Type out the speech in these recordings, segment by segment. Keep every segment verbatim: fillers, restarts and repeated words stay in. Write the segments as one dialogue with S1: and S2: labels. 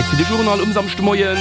S1: Zäit fir de Journal um Samschdemoien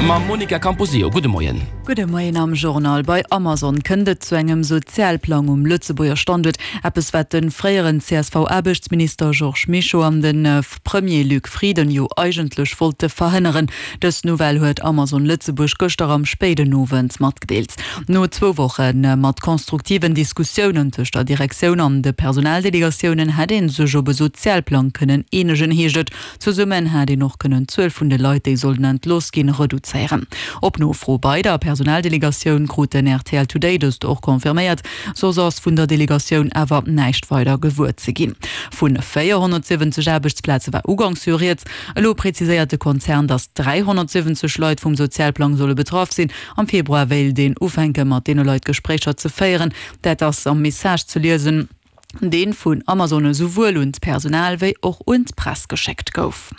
S1: mam Monica Camposeo. Gudde Moien.
S2: Gudde Moien am Journal. Bei Amazon kënnt et zu engem Sozialplang um Lëtzebuerger Standuert. Eppes wat de fréieren C S V-Aarbechtsminister Georges Mischo an de Premier Luc Frieden jo eigentlech wollte verhënneren. Dës Nouvelle huet Amazon Lëtzebuerg gëschter am spéiden Owend matgedeelt. No zwou Woche mat konstruktiven Diskussiounen tëscht der Direktioun an de Personaldelegatiounen hätt ee sech op e Sozialplang kënnen eenegen, heescht et. Zesummen hätt een och kënnen d'Zuel vun de Leit, déi sollten entlooss ginn, reduzéieren. Op Nofro bei der Personaldelegatioun krut den R T L Today dëst och confirméiert, soss ass vun der Delegatioun awer näischt weider gewuer ze ginn. Vu véierhonnertsiwwenzeg Aarbechtsplaze war uganks jo rieds. Elo preziséiert de Konzern, datt dräihonnertsiwwenzeg Leit vum Sozialplang solle betraff sinn. Am Februar wéilt een ufänke mat deene Leit Gespréicher ze féieren. Dat ass am Message ze liesen, dee vun Amazon esouwuel un d'Personal wéi och un d'Press geschéckt gouf.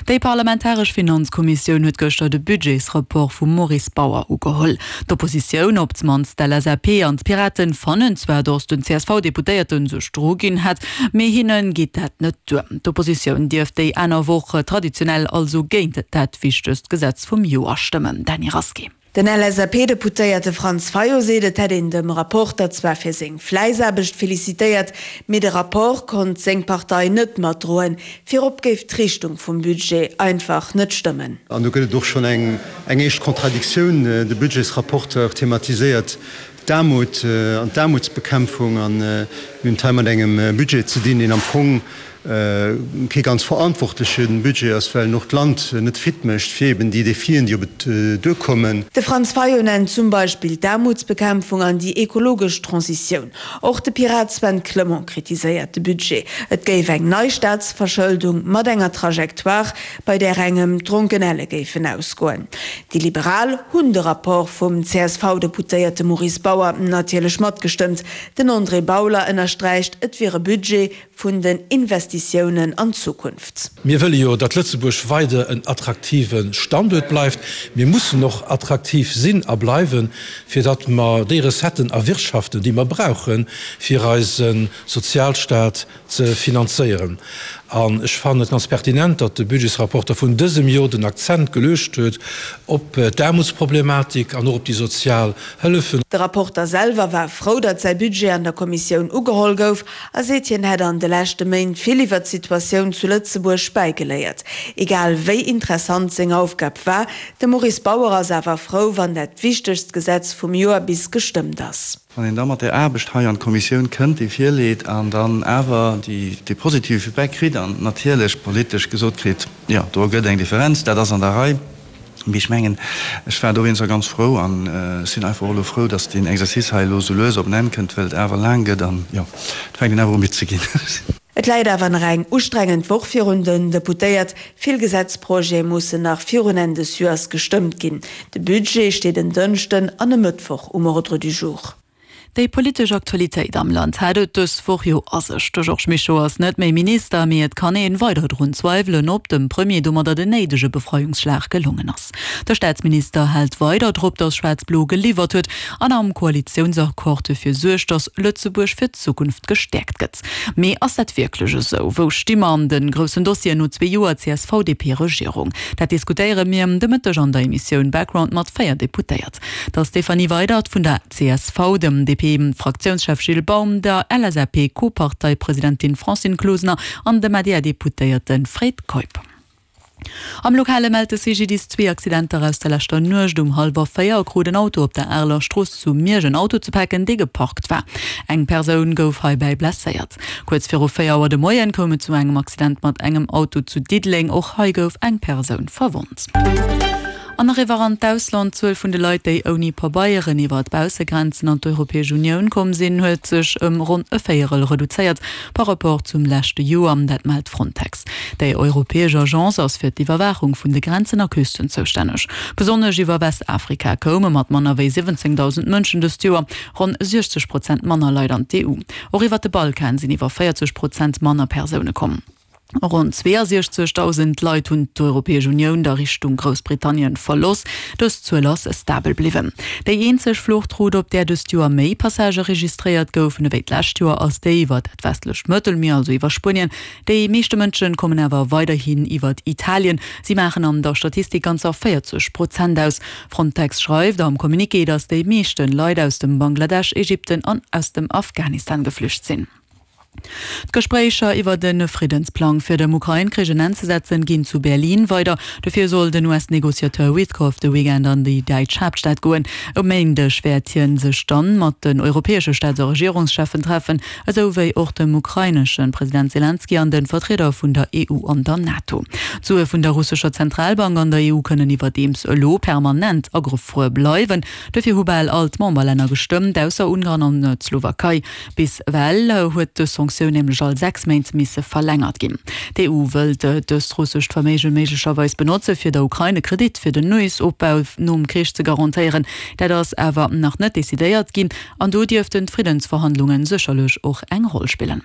S2: Déi parlamentaresch Finanzkommissioun huet gëschter de Budgetsrapport vum Maurice Bauer ugeholl. D'Oppositioun, op d'mannst d'L S A P an d'Piraten, fannen zwar, datt den C S V-Deputéierte sech druginn hätt, mee hinne geet dat net duer. D'Oppositioun dierft déi aner Woch traditionell also géint dat wichtegst Gesetz vum Joer stëmmen. Dany Rasqué.
S3: Den L S A P-Deputéierte Franz Fayot seet, et hätt een dem Rapporter zwar fir seng Fläissaarbecht felicitéiert, mee de Rapport konnt seng Partei net matdroen. Virop géif d'Richtung vum Budget einfach net stëmmen.
S4: An do gëtt et och schonn eng eng éischt Contradictioun. De Budgetsrapporteur thematiséiert d'Aarmut an d'Aarmutsbekämpfung an mir hunn et hei mat engem Budget ze dinn, deen am Fong kee ganz verantwortleche Budget ass, well en och d'Land net fit mécht fir eben déi Defien, déi op et duerkommen.
S3: De Franz Fayot nennt zum Beispill d'Aarmutsbekämpfung an déi ekologesch Transitioun. Och de Pirat Sven Clement kritiséiert de Budget. Et géif eng nei Staatsverschëldung mat enger Trajectoire, bei där engem d'Dronkenelle géifen ausgoen. Déi Liberal hunn de Rapport vum C S V-Deputéierte Maurice Bauer natierlech matgestëmmt. Den André Bauler ënnersträicht, et wier e Budget vun den Investitiounen an d'Zukunft.
S5: Mir wëlle jo, datt Lëtzebuerg weider en attraktive Standuert bleift. Mir mussen och attraktiv sinn a bleiwen, fir datt mer déi Recetten erwirtschaften, déi mer brauchen, fir eise Sozialstaat ze finanzéieren. An ech fannen et ganz pertinent, datt de Budgetsrapporter vun dësem Joer den Akzent geluecht huet op d'Aarmutsproblematik an och op déi sozial Hëllefen.
S3: De Rapporter selwer war frou, datt säi Budget an der Kommissioun ugeholl gouf a seet, hien hätt an de leschte Méint vill iwwer d'Situatioun zu Lëtzebuerg bäigeléiert. Egal wéi interessant seng Aufgab war, de Maurice Bauer ass awer frou, wann dat wichtegst Gesetz vum Joer bis gestëmmt ass.
S6: Wann een da mat der Aarbecht hei an d'Kommissioun kënnt, déi virleet an dann awer déi dee positive Feedback kritt an natierlech politesch gesot kritt, jo, do gëtt eng Differenz, dat ass an der Rei. Mee ech mengen, ech war dowéinster ganz frou an ech sinn einfach och elo frou, datt deen Exercice hei elo esou lues op en Enn kënnt, well et awer laang gëtt an, jo, et fänkt een awer u midd ze ginn.
S3: Et läit awer nach eng ustrengend Woch virun den Deputéiert. Vill Gesetzprojete mussen nach virun Enn des Joers gestëmmt ginn. De Budget steet en Dënschden an e Mëttwoch um Ordre du jour.
S2: Déi politesch Aktualitéit am Land hat et dës Woch jo a sech. De Georges Mischo ass net méi Minister, mee et kann een weider drun zweiwelen, ob dem Premier domadder den néidege Befreiungsschlag gelongen ass. De Staatsminister hält weider drop, datt Schwaarz-Blo geliwwert huet an am Koalitiounsaccord dofir suergt, datt Lëtzebuerg fir d'Zukunft gestäerkt gëtt. Mee ass dat wierklech esou? Wou sti mer an de groussen Dossieren no zwee Joer C S V-D P-Regierung? Dat diskutéiere mir de Mëtteg an der Emissioun Background mat véier Deputéiert. Der Stéphanie Weydert vun der C S V, dem D P-Fraktiounschef Gilles Baum, der L S A P-Co-Parteipresidentin Francine Closener an dem A D R-Deputéierte Fred Keup. Am Lokale mellt de C G D I S zwee Accidenter aus der leschter Nuecht. Um hallwer véier krut en Auto op der Areler Strooss zu Miersch en Auto ze paken, dee geparkt war. Eng Persoun gouf heibäi blesséiert. Kuerz viru véier Auer de Moien koum et zu engem Accident mat engem Auto zu Diddeleng. Och hei gouf eng Persoun verwonnt. An eriwwer an d'Ausland. D'Zuel vun de Leit, déi ouni Pabeieren iwwer d'Baussegrenzen an d'Europäesch Unioun komm sinn, huet sech ëm ronn e Véierel reduzéiert par rapport zum leschte Joer, dat mellt Frontex. Déi europäesch Agence ass fir d'Iwwerwaachung vun de Grenzen a Küsten zoustänneg. Besonnesch iwwer Westafrika koume mat manner wéi siwwenzéngdausend Mënschen dëst Joer ronn siechzeg Prozent manner Leit an d'E U. Och iwwer de Balkan sinn iwwer véierzeg Prozent manner Persoune komm. Ronn zweeasiechzegdausend Leit hunn d'Europäesch Unioun da Richtung Groussbritannien verlooss. Dës Zuel ass stabel bliwwen. Déi eenzeg Fluchtroute, op där dëst Joer méi Passagë registréiert goufen ewéi d'lescht Joer, ass déi iwwer dat westlecht Mëttelmier, also iwwer Spuenien. Déi meeschte Mënsche kommen awer weiderhin iwwer Italien. Si maachen an der Statistik ganzer véierzeg Prozent aus. Frontex schreift am Communiqué, datt déi meeschte Leit aus dem Bangladesch, Ägypten an aus dem Afghanistan geflücht sinn. D'Gespréicher iwwert e Friddensplang fir dem Ukrain-Krich en Enn ze setzen, ginn zu Berlin weider. Dofir soll den U S-Negociateur Witkoff de Weekend an déi däitsch Haaptstad goen. E Méindeg wäert hie sech dann mat den europäesche Staats a Regierungscheffen treffen, esou wéi och dem ukrainesche President Selenskyj an de Vertrieder vun der E U an der NATO. D'Sue vun der russescher Zentralbank an der E U kënnen iwwerdeems elo permanent agefruer bleiwen. Dofir hu bal all d'Memberlänner gestëmmt, ausser Ungarn an d'Slowakei. Bis ewell huet dës Sanktioun nämlech all sechs Méint misse verlängert ginn. D'E U wëllt dëst russescht Verméige méiglecherweis benotze fir der Ukrain e Kredit fir den Neesopbau nom Krich ze garantéieren. Dat ass awer nach net decidéiert ginn an do dierften d'Friddensverhandlunge sécherlech och eng Roll spillen.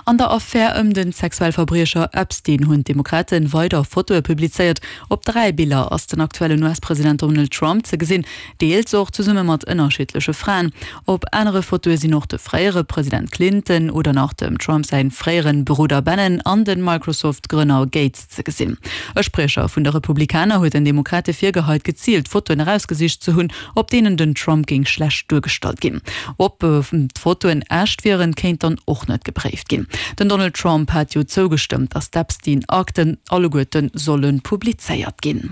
S2: An der Affär ëm de Sexualverbriecher Epstein hunn d'Demokrate weider Fotoe publizéiert. Op dräi Biller ass den aktuellen U S-President Donald Trump ze gesinn, deels och zesumme mat ënnerschiddleche Fraen. Op anere Fotoe sinn och de fréiere President Clinton oder nach dem Trump säi fréiere Brudder Bannon an de Microsoft-Grënner Gates ze gesinn. E Spriecher vun de Republikaner huet den Demokrate virgeheit, geziilt Fotoen erausgesicht ze hunn, op deenen den Trump géing schlecht duergestallt ginn. Ob d'Fotoen echt wieren, kéint dann och net gepréift ginn. Den Donald Trump hat jo zougestëmmt, datt d'Epstein-Akten alleguerte solle publizéiert ginn.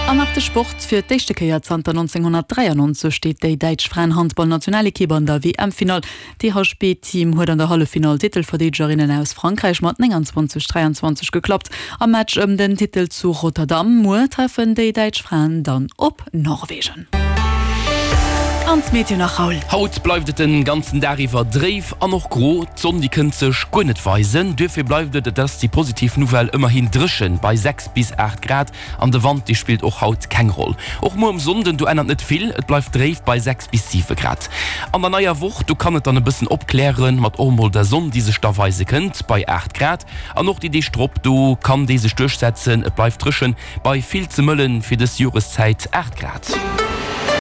S2: An nach de Sport, Fir d'éischte Kéier zanter nonzénghonnertdräiannonzeg steet déi däitsch Fraenhandballnationalekipp an der W M-Finall. D'D H B-Team huet an der Halleffinall d'Titelverdeedegerinnen aus Frankräich mat nénganzwanzeg, dräianzwanzeg geklappt. Am Match ëm den Titel zu Rotterdam muer treffen déi däitsch Fraen dann op Norwegen. An d'Meteo nach, Raoul.
S1: Haut bleift et den ganzen Dag iwwer dréif an och gro. D'Sonn déi kënnt sech guer net weisen. Duerfir bleift et, et ass déi positiv Nouvelle, ëmmerhin dréchen bei sechs bis aacht Grad an de Wand dee spillt och haut keng Roll. Och muer um Sonnden, do ännert net vill, et bleift dréif bei sechs bis siwe Grad. An der neier Woch, do kann et dann e bëssen opklären, mat och mol der Sonn déi sech da weise kënnt bei aacht Grad. An och déi Deeg drop, do kann déi sech duerchsetzen, et bleift dréchen bei vill ze mëllen fir dës Joreszäit aacht Grad.